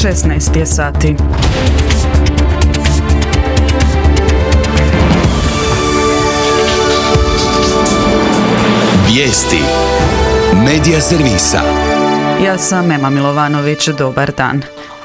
16 je sati. Vijesti Medija servisa. Ja sam Ema Milovanović, dobar dan.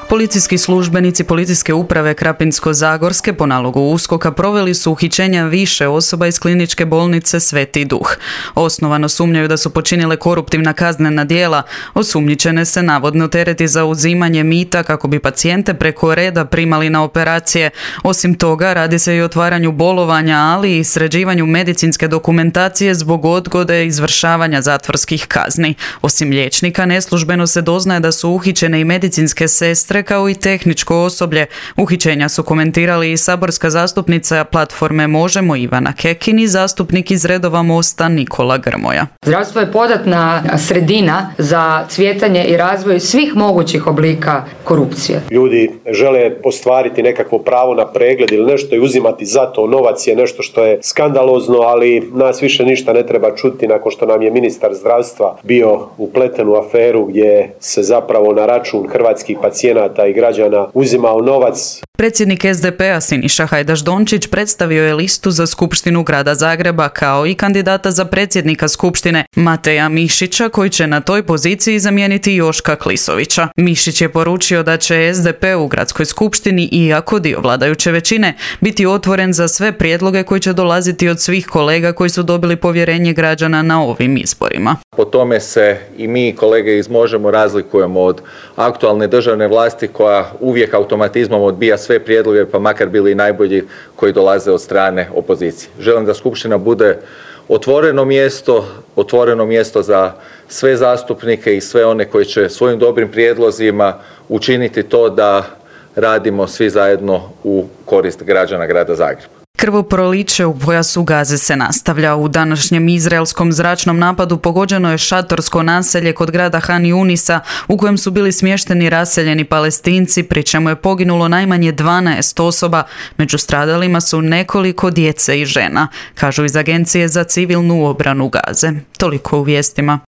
Policijski službenici Policijske uprave Krapinsko-zagorske po nalogu USKOK-a proveli su uhićenja više osoba iz kliničke bolnice Sveti Duh. Osnovano sumnjaju da su počinile koruptivna kaznena djela, osumnjičene se navodno tereti za uzimanje mita kako bi pacijente preko reda primali na operacije. Osim toga, radi se i o otvaranju bolovanja, ali i sređivanju medicinske dokumentacije zbog odgode izvršavanja zatvorskih kazni. Osim liječnika, neslužbeno se doznaje da su uhićene i medicinske sestre kao i tehničko osoblje. Uhićenja su komentirali i saborska zastupnica platforme Možemo Ivana Kekin i zastupnik iz redova Mosta Nikola Grmoja. Zdravstvo je podatna sredina za cvjetanje i razvoj svih mogućih oblika korupcije. Ljudi žele ostvariti nekakvo pravo na pregled ili nešto i uzimati za to novac je nešto što je skandalozno, ali nas više ništa ne treba čuti nakon što nam je ministar zdravstva bio upleten u aferu gdje se zapravo na račun hrvatskih pacijenata i građana uzimao novac. Predsjednik SDP-a Siniša Hajdaš Dončić predstavio je listu za Skupštinu Grada Zagreba kao i kandidata za predsjednika Skupštine Mateja Mišića, koji će na toj poziciji zamijeniti Joška Klisovića. Mišić je poručio da će SDP u Gradskoj skupštini, iako dio vladajuće većine, biti otvoren za sve prijedloge koji će dolaziti od svih kolega koji su dobili povjerenje građana na ovim izborima. Po tome se i mi kolege iz Možemo razlikujemo od aktualne državne vlasti koja uvijek automatizmom odbija sve prijedloge, pa makar bili i najbolji koji dolaze od strane opozicije. Želim da Skupština bude otvoreno mjesto za sve zastupnike i sve one koji će svojim dobrim prijedlozima učiniti to da radimo svi zajedno u korist građana Grada Zagreba. Krvoproliće u pojasu Gaze se nastavlja. U današnjem izraelskom zračnom napadu pogođeno je šatorsko naselje kod grada Han Junisa u kojem su bili smješteni raseljeni Palestinci, pri čemu je poginulo najmanje 12 osoba. Među stradalima su nekoliko djece i žena, kažu iz Agencije za civilnu obranu Gaze. Toliko u vijestima.